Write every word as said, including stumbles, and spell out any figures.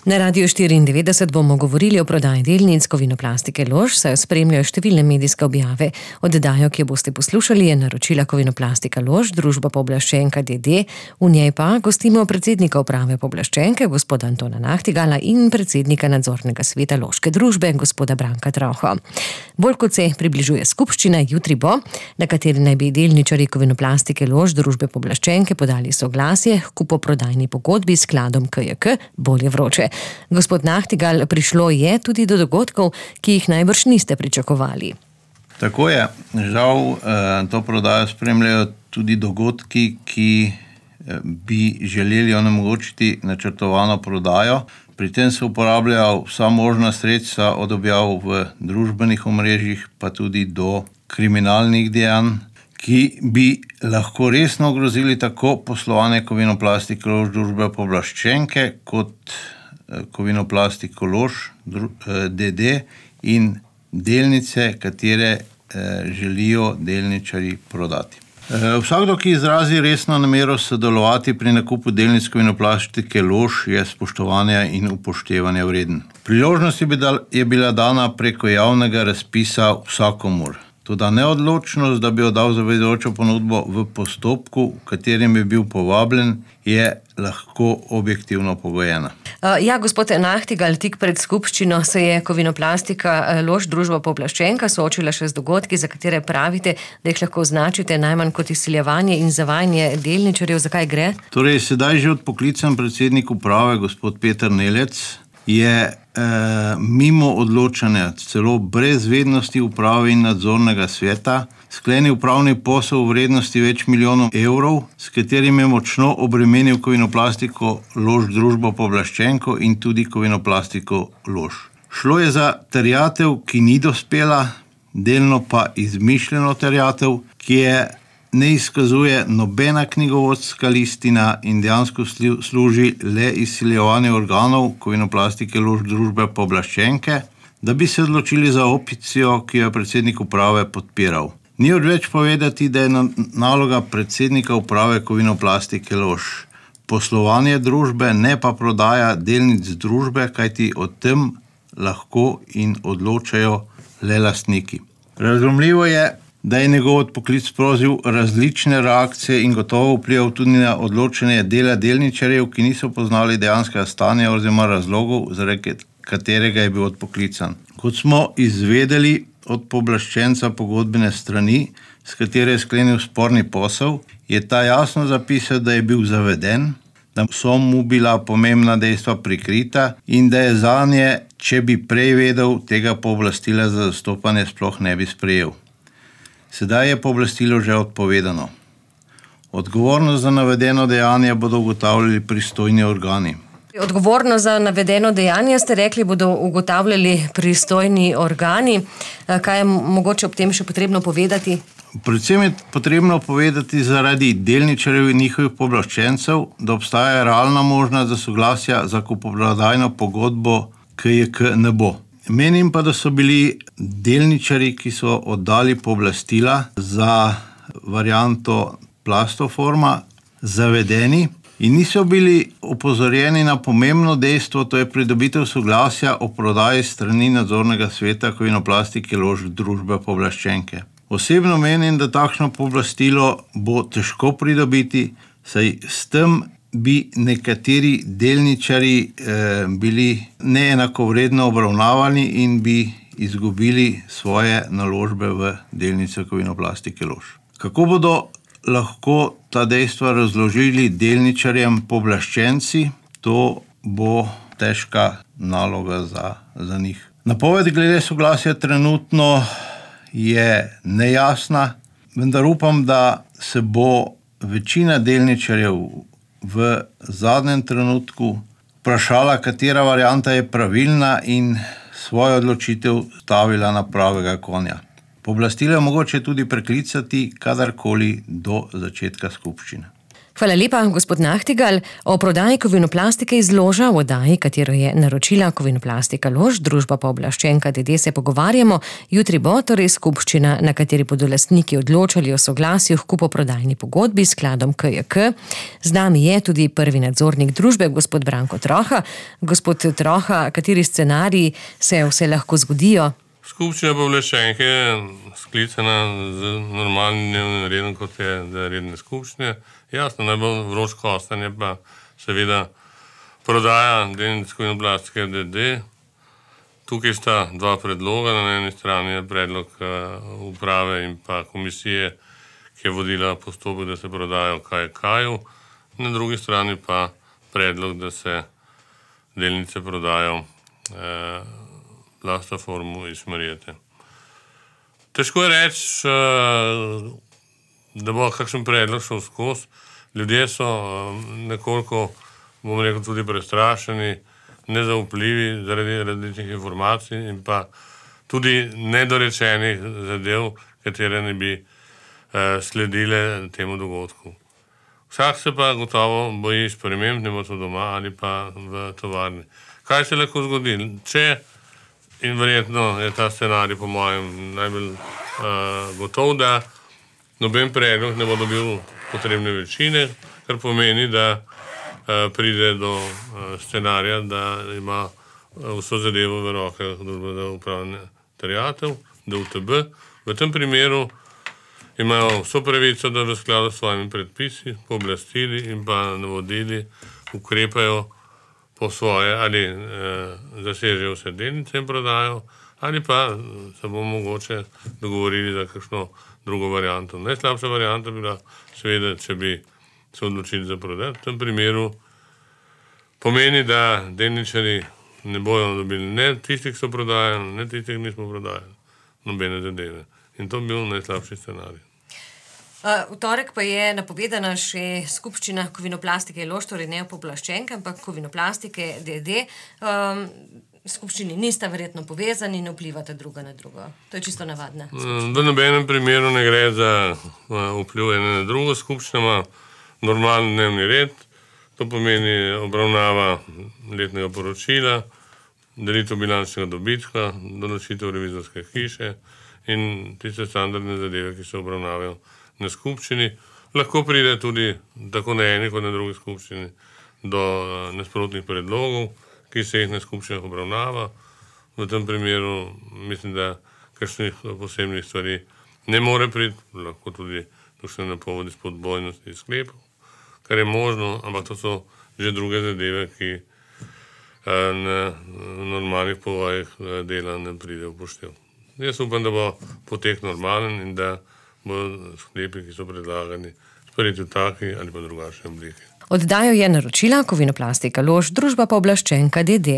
Na Radiu štiriindevetdeset bomo govorili o prodaji delnic Kovinoplastike Lož, saj jo spremljajo številne medijske objave. Oddajo, ki jo boste poslušali, je naročila Kovinoplastika Lož, družba pooblaščenka D D. V njej pa gostimo predsednika uprave pooblaščenke, gospoda Antona Nahtigala, in predsednika nadzornega sveta Loške družbe, gospoda Branka Trauho. Bolj kot se približuje skupščina, jutri bo, na kateri naj bi delničarji Kovinoplastike Lož, družbe pooblaščenke, podali soglasje k kupoprodajni pogodbi s skladom K J K, bolje vroče. Gospod Nahtigal, prišlo je tudi do dogodkov, ki jih najbrž niste pričakovali. Tako je. Žal to prodajo spremljajo tudi dogodki, ki bi želeli onemogočiti načrtovano prodajo. Pri tem se uporabljajo vsa možna sredstva od objav v družbenih omrežjih pa tudi do kriminalnih dejanj, ki bi lahko resno ogrozili tako poslovanje Kovinoplastike Lož, družbe pooblaščenke, kot Kovinoplastiko Lož D D in delnice, katere želijo delničarji prodati. Vsakdo, ki izrazi resno namero sodelovati pri nakupu delnic Kovinoplastike Lož, je spoštovanja in upoštevanja vreden. Priložnost je bila dana preko javnega razpisa vsakomur. Toda neodločnost, da bi oddal zavezujočo ponudbo v postopku, v katerem je bil povabljen, je lahko objektivno pogojena. Ja, gospod Nahtigal, tik pred skupščino se je Kovinoplastika Lož, družba pooblaščenka, soočila še z dogodki, za katere pravite, da jih lahko označite najmanj kot izsiljevanje in zavajanje delničarjev. Zakaj gre? Torej, sedaj že odpoklican predsednik uprave, gospod Peter Nelec, je eh, mimo odločanja, celo brez vednosti uprave in nadzornega sveta, sklenil upravni posel v vrednosti več milijonov evrov, s katerim je močno obremenil Kovinoplastiko Lož, družbo pooblaščenko in tudi Kovinoplastiko Lož. Šlo je za terjatev, ki ni dospela, delno pa izmišljeno terjatev, ki je ne izkazuje nobena knjigovodska listina in dejansko služi le izsiljevanju organov Kovinoplastike Lož, družbe pooblaščenke, da bi se odločili za opcijo, ki jo je predsednik uprave podpiral. Ni odveč povedati, da je naloga predsednika uprave Kovinoplastike Lož poslovanje družbe, ne pa prodaja delnic družbe, kajti o tem lahko in odločajo le lastniki. Razumljivo je, da je njegov odpoklic sprožil različne reakcije in gotovo vplival tudi na odločanje dela delničarjev, ki niso poznali dejanskega stanja oziroma razlogov, zaradi katerega je bil odpoklican. Kot smo izvedeli od pooblaščenca pogodbene strani, s katere je sklenil sporni posel, je ta jasno zapisal, da je bil zaveden, da so mu bila pomembna dejstva prikrita in da je zanje, če bi prej vedel, tega pooblastila za zastopanje sploh ne bi sprejel. Sedaj je pooblastilo že odpovedano. Odgovornost za navedeno dejanje bodo ugotavljali pristojni organi. Odgovornost za navedeno dejanje, ste rekli, bodo ugotavljali pristojni organi. Kaj je mogoče ob tem še potrebno povedati? Predvsem je potrebno povedati zaradi delničarjev in njihovih pooblaščencev, da obstaja realna možnost, da soglasja za kupoprodajno pogodbo K J K ne bo. Menim pa, da so bili delničarji, ki so oddali pooblastila za varianto Plastoforma, zavedeni in niso bili opozorjeni na pomembno dejstvo, to je pridobitev soglasja o prodaji strani nadzornega sveta Kovinoplastike Lož, družbe pooblaščenke. Osebno menim, da takšno pooblastilo bo težko pridobiti, saj s tem bi nekateri delničarji eh, bili neenakovredno obravnavani in bi izgubili svoje naložbe v delnice Kovinoplastike Lož. Kako bodo lahko ta dejstva razložili delničarjem pooblaščenci, to bo težka naloga za, za njih. Napoved glede soglasja trenutno je nejasna, vendar upam, da se bo večina delničarjev v zadnjem trenutku vprašala, katera varianta je pravilna in svojo odločitev stavila na pravega konja. Pooblastilo je mogoče tudi preklicati kadarkoli do začetka skupščine. Hvala lepa, gospod Nahtigal. O prodaji Kovinoplastike iz Loža, v oddaji, katero je naročila Kovinoplastika Lož, družba pooblaščenka D D, se pogovarjamo. Jutri bo torej skupščina, na kateri bodo lastniki odločali o soglasju k kupoprodajni pogodbi s skladom K J K. Z nami je tudi prvi nadzornik družbe, gospod Branko Troha. Gospod Troha, kateri scenariji se vse lahko zgodijo? Skupščina pooblaščenke je sklicana z normalnim dnevnim redom, kot je redne skupščine. Jasno, najbolj vroč kostanj je pa seveda prodaja delnic Kovinoplastike D D. Tukaj sta dva predloga. Na eni strani je predlog uprave in pa komisije, ki je vodila postopek, da se prodajo K J K-ju. Na drugi strani pa predlog, da se delnice prodajo eh, Plastaformu iz Marjete. Težko je reči, da bo kakšen predlog šel skozi. Ljudje so nekoliko, bom rekel, tudi prestrašeni, nezaupljivi zaradi različnih informacij in pa tudi nedorečenih zadev, katere ne bi sledile temu dogodku. Vsak se pa gotovo boji sprememb, ne bo to doma ali pa v tovarni. Kaj se lahko zgodi? Če In verjetno je ta scenarij po mojem najbolj uh, gotov, da noben predlog ne bo dobil potrebne večine, kar pomeni, da uh, pride do uh, scenarija, da ima uh, vso zadevo v rokah družbe za upravljanje terjatev, D U T B. V tem primeru imajo vso pravico, da v skladu s svojimi predpisi, pooblastili in pa navodili ukrepajo po svoje, ali eh, zasežejo vse delnice in prodajo, ali pa se bomo mogoče dogovorili za kakšno drugo varianto. Najslabša varianta bi bila seveda, če bi se odločili za prodaj. V tem primeru pomeni, da delničarji ne bojo dobili ne tistih, ki so prodajali, ne tistih, ki nismo prodajali, nobene zadeve. In to bi bil najslabši scenarij. V torek pa je napovedana še skupščina Kovinoplastike Lož, torej ne pooblaščenke, ampak Kovinoplastike D D. Um, skupščini nista verjetno povezani in vplivata druga na drugo. To je čisto navadna skupščina. V nobenem primeru ne gre za vpliv ene na drugo. Skupščina ima normalen dnevni red. To pomeni obravnava letnega poročila, delitev bilančnega dobička, določitev revizorske hiše in tiste standardne zadeve, ki se obravnavajo na skupščini. Lahko pride tudi tako na eni kot na drugi skupščini do nasprotnih predlogov, ki se jih na skupščinah obravnava. V tem primeru mislim, da kakšnih posebnih stvari ne more priti, lahko tudi kakšne napovedi spodbojnosti sklepov, kar je možno, ampak to so že druge zadeve, ki na normalnih povojih dela ne pride v poštev. Jaz upam, da bo potek normalen in da bo sklepi, ki so predlagani, sprejeti v taki ali pa drugačni obliki. Oddajo je naročila Kovinoplastika Lož, družba pooblaščenka D D.